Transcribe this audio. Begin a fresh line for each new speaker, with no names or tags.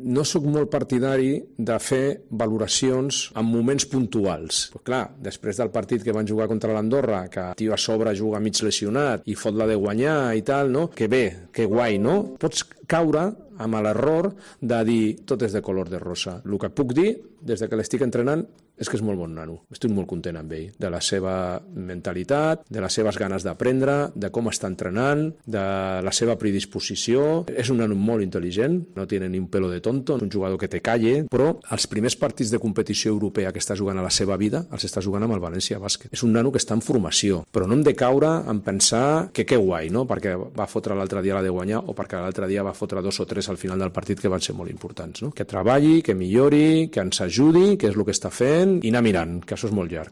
no sóc molt partidari de fer valoracions en moments puntuals. Però clar, després del partit que van jugar contra l'Andorra, que el tio a sobre juga mig lesionat i fot la de guanyar i tal, no? Que bé, que guai, no? Pots caure amb l'error de dir tot és de color de rosa. El que puc dir, des que l'estic entrenant, és que és molt bon nano. Estic molt content amb ell, de la seva mentalitat, de les seves ganes d'aprendre, de com està entrenant, de la seva predisposició. És un nano molt intel·ligent, no tiene ni un pelo de tonto, un jugador que te calle, però els primers partits de competició europea que està jugant a la seva vida els està jugant amb el València Bàsquet. És un nano que està en formació, però no hem de caure en pensar que guai, no? Perquè va fotre l'altre dia la de guanyar o perquè l'altre dia va fotre 2 o 3 al final del partit que van ser molt importants, no? Que treballi, que millori, que ens ajudi, que és el que està fent, i anar mirant, que això és molt llarg.